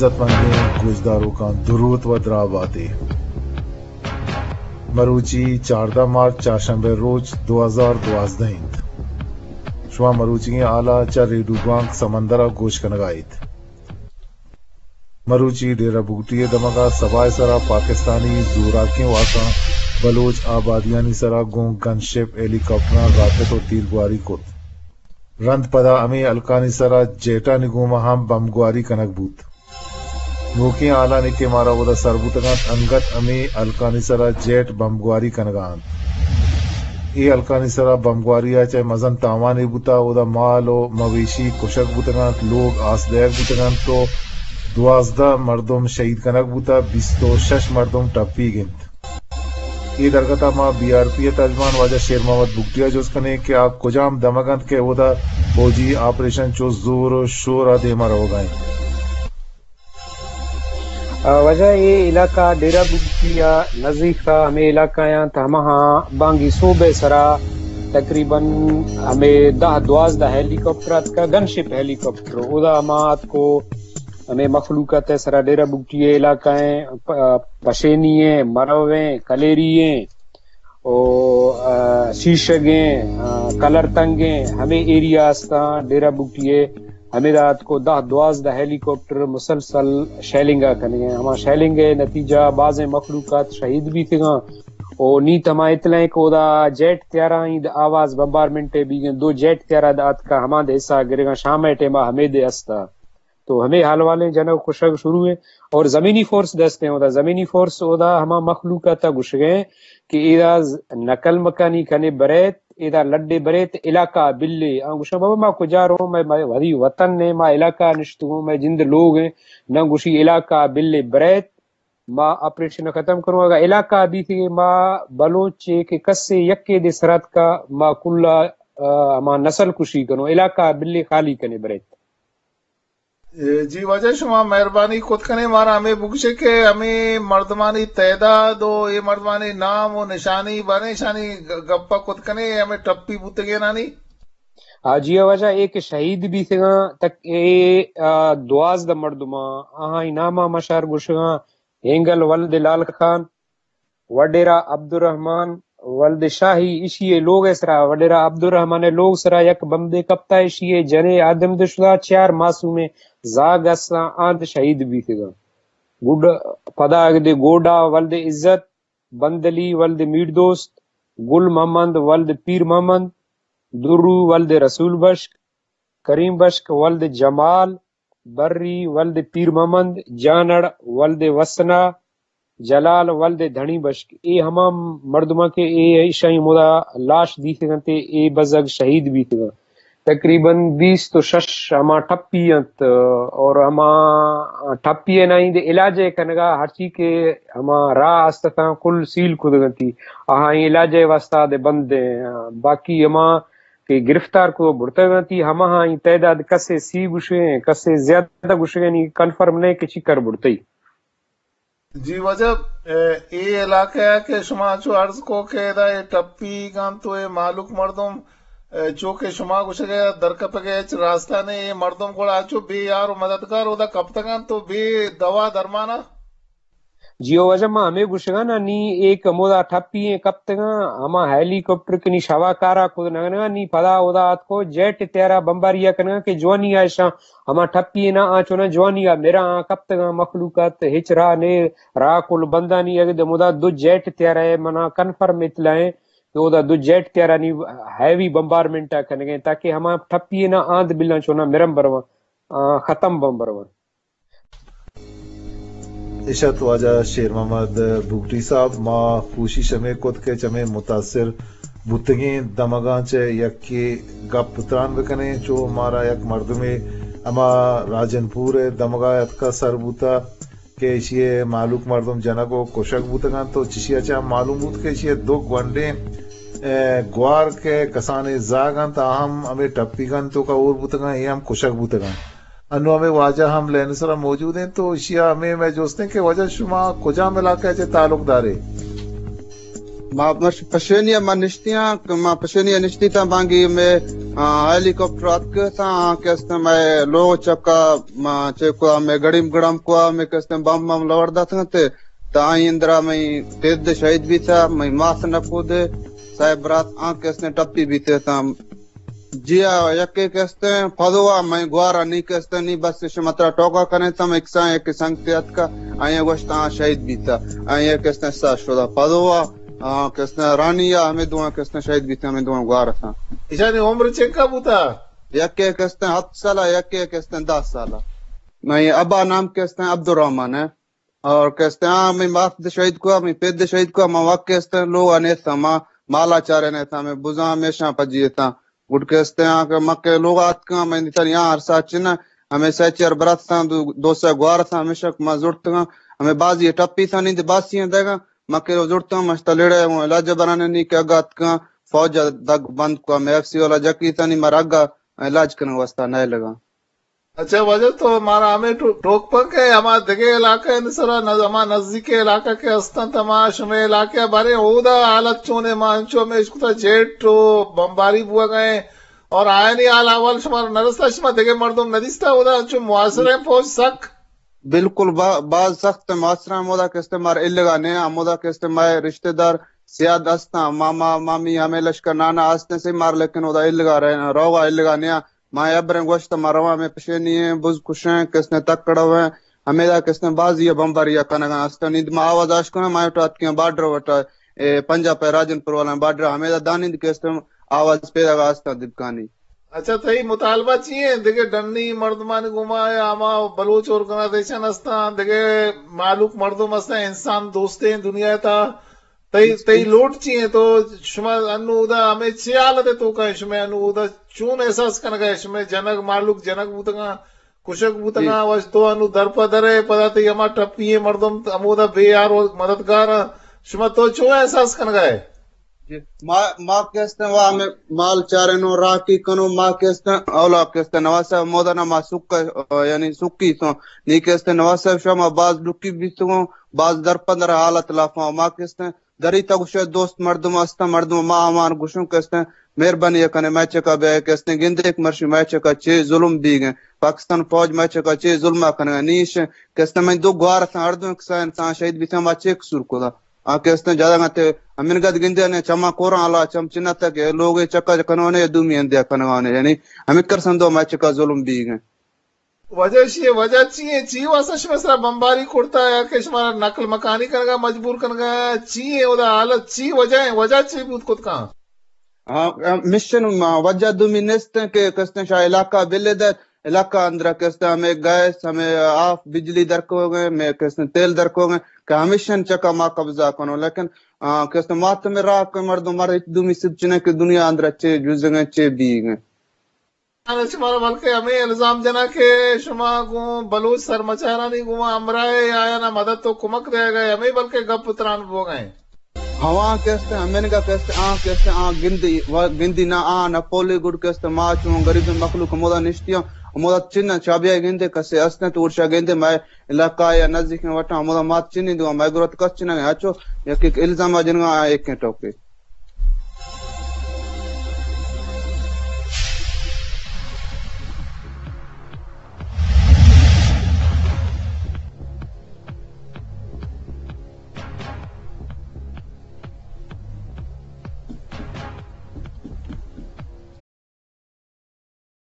عزت مندیں گوشداروکاں، دروت و دراہ باتے۔ مروچی چاردہ مارچ، چارشنبے روچ، دو ہزار دوازدہ انت۔ شما مروچیگیں ہالا چہ ریڈیو بانک سمندرا گوش کنگا ایت۔ مروچی ڈیرہ بگٹی ءِ دمگا سبا ءِ سرا پاکستانی زوراکیں واساں بلوچ آبادیانی سرا گوں گن شپ، ہیلی کاپٹراں راکٹ و تیرگواری کت۔ رند پدا ہمے ہلکانی سرا جیٹانی گوما ہم بمبگواری کنگ بوت۔ نوکیں ہالانی کہ مارا اودا سر بوتگ انت، انگت ہمے ہلکانی سرا جیٹ بمبگواری کنگا انت۔ اے ہلکانی سرا بمبگواری ءَ چہ مزن تاوانے بوتا، اودا مال و مویشی کشگ بوتگ انت، لوگ آس دئیگ بوتگ انت و دوازدہ مردم شہید کنگ بوتا، بیست و شش مردم ٹپیگ انت۔ اے درگت ءَ ما بی آر پی ءِ ترجمان واجہ شیر محمد بگٹی ءَ جست کنیں کہ آ کجام دمگ انت کہ اودا فوجی آپریشن چو زور و شور ءَ دیما روگا انت۔ آ، واجہ اے علاقہ ڈیرہ بگٹی ءَ نزیک ءَ ہمے علاقہ انت، ہماہاں بانگی صبح ءِ سرا تقریباً ہمے دہ دوازدہ ہیلی کاپٹر اتکا، گن شپ ہیلی کاپٹر، اودا ہما اتکو ہمے مخلوقات ءِ سرا ڈیرہ بگٹی ءِ علاقہ ایں، پ-، پشینی ایں، مرو ایں، کلیری ایں، او، آ، شیشگ ایں، آ، کلر تنگ ایں، ہمے ایریا استاں ڈیرہ بگٹی ءِ۔ ہمے دات کو دہ دوازدہ ہیلی کاپٹر مسلسل شیلنگ ءَ کنگ ایں۔ ہما شیلنگ ءِ نتیجہ بازیں مخلوقات شہید بیتگاں۔ او نیت ہما اطلاع ایں کہ اودا جیٹ تیارہ ایں، آواز بمبارمنٹ ءِ بیگ ایں، دو جیٹ تیارہ دات کا ہما دے حصہ گرگاں، شام ءِ ٹائم ءَ ہمے دے استا۔ تو ہمے حال والیں جنگ کشگ شروع ایں اور زمینی فورس دست ایں اودا۔ زمینی فورس اودا ہما مخلوق ءَ تا گشگ ایں کہ ایدا ز-، نقل مکانی کنے بریت، ایدا لڈے بریت، علاقہ بلے۔ آ گشاں، بابا، ما کجا رو؟ مئے، مئے وتی وطن ایں، ما علاقہ نشتگوں، مئے جند لوگ ایں، نہ گشی علاقہ بلے بریت، ما آپریشن ختم کنوں۔ اگا علاقہ بیتگے ما بلوچ چے کہ کسے یکے دے سرات کا ما کلا، آ، ہما نسل کشی کنوں، علاقہ بلے خالی کنے بریت۔ اے، جی واجہ، شما مہربانی کت کنے مارا ہمے بگشے کہ ہمے مردمانی تعداد و اے مردمانی نام و نشانی باریں، اشانی گ-، گپا کت کنے، ہمے ٹپی بوتگینانی؟ آ، جی واجہ، اے کہ شہید بیتگاں تک اے، آ، دوازدہ مردماں، آہانی ناما مشار گشگاں، ہینگل ولد لال خان، وڈیرہ عبدالرحمن ولد شاہی، اشی ءِ لوگ ءِ سرا، وڈیرہ عبدالرحمن ءِ لوگ سرا یک بمبے کپتا، اشی ءِ جنے آدم دشدا، چار معصومیں زاگ استاں، آند شہید بیتگاں۔ گڈ پدا اگدے گوڈا ولد عزت، بندلی ولد میر دوست، گل محمد ولد پیر محمد، درو ولد رسول بشک، کریم بشک ولد جمال، بری ولد پیر محمد، جانڑ ولد وسنا، جلال ولد دھنی بشک۔ اے ہما مردماں کہ اے ایشانی مدا لاش دیتگ انت، اے بزگ شہید بیتگ انت۔ تقریباً بیست و شش ہما ٹپی انت اور ہما ٹپی ءِ نائند علاج ءِ کنگا ہرچی کہ ہما راہ است اتاں کل سیل کتگ انتی۔ آہاں علاج ءِ واسطہ دے بند ایں۔ باقی ہما کہ گرفتار کو برتگ انتی، ہماہانی تعداد کسے سی گشگیں، کسے زیادہ گشگیں، نی کنفرم نہ کہ چی کر برتئی۔ جی واجہ، اے، اے علاقہ ءَ کہ شما چو عرض کو کہ ادا اے ٹپی گنت و اے مالوک مردم، اے، چو کہ شما گشگ ءَ درکپگ ءِ ہچ راستہ نے، اے مردم گڑا چو بے یار و مددگار اودا کپتگ انت و بے دوا درمانا؟ جی او واجہ، ما ہمے گشگانا نی اے کہ ہمودا ٹپی ایں کپتگاں، ہما ہیلی کاپٹر کہ نی شوا کارا کد نگنگا، نی پدا اودا اتکو جیٹ تیارا بمباری ءَ کنگا کہ جوانی ءَ اشاں ہما ٹپی نا آ چونا جوانی ءَ مرا آ کپتگاں مخلوقات ہچ راہ نے، راہ کل بندانی۔ اگہ دے مدا دو جیٹ تیارہ ءِ منا کنفرم اطلاع ایں کہ اودا دو جیٹ تیارانی ہیوی بمبارمنٹ ءَ کنگیں تاکہ ہما ٹپی نا آند بلاں چونا مرم برواں، آ، ختم بم برواں۔ اشت واجہ شیر محمد بگٹی صاحب، ما کوشش ہمے کت کہ چمے متاثر بوتگیں دمگاں چہ یکے گپ تران بکنیں، چو مارا یک مردمے ہما راجن پور ءِ دمگا اتکا سر بوتا کہ ایشی ءِ مہلوک مردم جنگ و کشگ بوتگ انت و چشی ءَ چہ ہم معلوم بوت کہ ایشی ءِ دو گونڈیں، اے، گوار کہ کسانیں زاگ انت، آ ہم ہمے ٹپیگانی توکا ہور بوتگ انت، اے ہم کشگ بوتگ انت۔ انو ہمے واجہ ہم لین سرا موجود انت، تو ایشی ءَ ہمے مئے جست انت کہ واجہ شما کجام علاقہ ءَ چہ تعلق دارے؟ ما مش-، پشینی ءَ ما نشتیاں، ما پشینی ءَ نشتی تاں بانگی مئے آ، ہیلی کاپٹر اتکتاں، آ، کہ استیں مئے لوگ چکا، ما چہ کوا مئے گڑیم گڑام کوا مئے کہ استیں بم بم لوڑ داتاں تے، تا آئی اندرا مئے پید شہید بیتا، مئے ماس نکو دے، صاحب برات آ کہ استیں ٹپی بیتے تا۔ جی آ، یکے کہ استیں پدوا مئے گوارا نی کہ استیں نی بس شما ترا ٹوکا کنے تا مئے کسان یک سنگتے اتکا، آئی گوشتا آ شہید بیتا، آئی کہ استیں سا شدا۔ پدوا آ، کہ استیں رانی آ، ہمے دوئیں کہ استیں شہید بیتیں، ہمے دوئیں گوار اتاں۔ ایشانی عمر چنکا بوتا؟ یکے کہ استیں ہفت سالہ، یکے کہ استیں دہ سالہ۔ مئے ابا نام کہ استیں عبدالرحمن ہے۔ اور کہ استیں آ، مئے مات دے شہید کوا، مئے پید دے شہید کوا، ما وقت کہ استیں لوگ آ نیتاں، ما مالا چارے نیتاں، مئے بزاں ہمیشاں پجی اتاں۔ گڈ کہ استیں آ کہ مکے لوگ آتکاں، مئے نیتاں یا عرصہ چنہ، ہمے سہ چار برات اتاں، دو، دو سہ گوار اتاں، ہمیشہ ما زرتگاں، ہمے بازی ٹپی اتاں، نیند باسی ہیں دیگاں، ما کہ زرتاں، مشتا لیڑے اوں علاج برانے نی کہ اگا اتکاں، فوج دگ بند کو، ہمے ایف سی والا جکی اتاں، نی مارا اگا علاج کنگ واسطہ نہ لگا۔ اچھا، واجہ تو مارا ہمے ٹو-، ٹوک پن کہ ہما دگہ علاقہ اند سرا نز-، ہما نزدیک علاقہ کہ استاں، ہما شمے علاقہ بارے اودا حالت چونے؟ ما انچو ہمے اشکتا جیٹ و بمباری بوگا ہیں اور آیانی حال احوال شما نرستا، شما دگہ مردم ندیستا اودا انچو محاصرہ ہیں فوج سک؟ بالکل با-، باز سخت محاصرہ ہمودا کہ استیں مار الگا نے، ہمودا کہ استیں مئے رشتہ دار سیاد استاں، ماما، مامی، ہمے لشکر نانا استیں سے مار، لیکن اودا الگا رہ-، روگا الگا نیا۔ ما ابریں گوشت ما رواں ہمے پشینی ہیں، بز کشیں، کہ استیں تکڑو ہیں، ہمیدا کہ استیں بازی بمباری کنگا استاں۔ نی ما آواز آش کناں، ما ٹاتکیاں بارڈر وٹا، اے پنجاب پہ راجن پور والا بارڈر، ہمیدا دانند کہ استیں آواز پیدا گا استاں دبکانی۔ اچھا، تئی مطالبہ چی ہیں؟ دگہ ڈنی مردمانی گوما یا ہما بلوچ آرگنائزیشن ہستاں، دگہ مہلوک مردم ہستاں، انسان دوستیں دنیا تا، تئی، تئی لوٹ چی ہیں؟ تو شما انو اودا ہمے چے حالت توکا ہیں؟ شما انو اودا چون احساس کنگا ہے؟ شما جنگ، مہلوک جنگ بوتگاں، کشگ بوتگاں، وش تو انو در پہ در ہے، پدا تئی ہما ٹپی ہیں مردم ہمودا بے یار و مددگار ہیں۔ شما تو چون احساس کنگا ہے؟ جی، ما، ما کہ استیں وا ہمے مال چارینوں، راکی کنوں، ما کہ استیں اولا کہ استیں نواز صاحب مودا نا ما سکا، یعنی سکی سوں، نی کہ استیں نواز صاحب شما باز ڈکی بیتگوں، باز در پندر حالت لافاں، ما کہ استیں دری تا گوشے دوست مردم استاں، مردم ما ہمان گوشوں کہ استیں مہربانی کنے مئے چکا بیا کہ استیں گندے ایک مرشی مئے چکا چے ظلم بیگیں، پاکستان فوج مئے چکا چے ظلم کنگا، نیش کہ استیں مئے دو گوار اتاں، ہر دو کسا انسان شہید بیتاں، ما چے قصور کتا؟ آ کہ استیں جاگہ تے ہمینگت گندے نے چما کوراں، اللہ چم چنت کہ لوگ چکا کنونے، دومی اندیا کنوانے، یعنی ہمیں کر سندو مئے چکا ظلم بیگیں۔ وجہ شی، وجہ چی ہے؟ چی واسطہ شما سرا بمباری کرتا یا کہ شما نقل مکانی کنگا مجبور کنگا؟ چی ہے اودا حالت؟ چی وجہ ہے؟ وجہ چی بود کت کان؟ ہاں، مشن ما وجہ دومی نیست ہیں کہ کستیں شاہ علاقہ بلے در، علاقہ اندر کستیں ہمیں گیس، ہمیں آف، بجلی درکو گئے، میں کستیں تیل درکو گئے کہ ہمیشن چکا ما قبضہ کنو، لیکن آ، کستیں مات میں راہ کوئی مردم مر ہچ دومی سد چنے کہ دنیا اندر چے جزگیں چے بیگیں۔ شمارا بلکہ ہمیں الزام جنا کہ شما گوں بلوچ سرمچارانی گوں ہمراہ یا آیانا مدد و کمک دے گئے، ہمیں بلکہ گپ تران بوگئے۔ ہواں کہ است، ہمینگا کہ است، آں کہ است، آں گندی، و گندی نہ، آں نہ پولی گڈ کہ است، ما چون غریب مخلوق ہمودا نشتی ہوں، ہمودا چن چابیا گندے کسے است تو ارشا گندے، مئے علاقہ یا نزدیک وٹا ہمودا مات چنی دو، مئے گروت کس چنگے، اچو یک ایک الزام جنگا ایک ٹوکے۔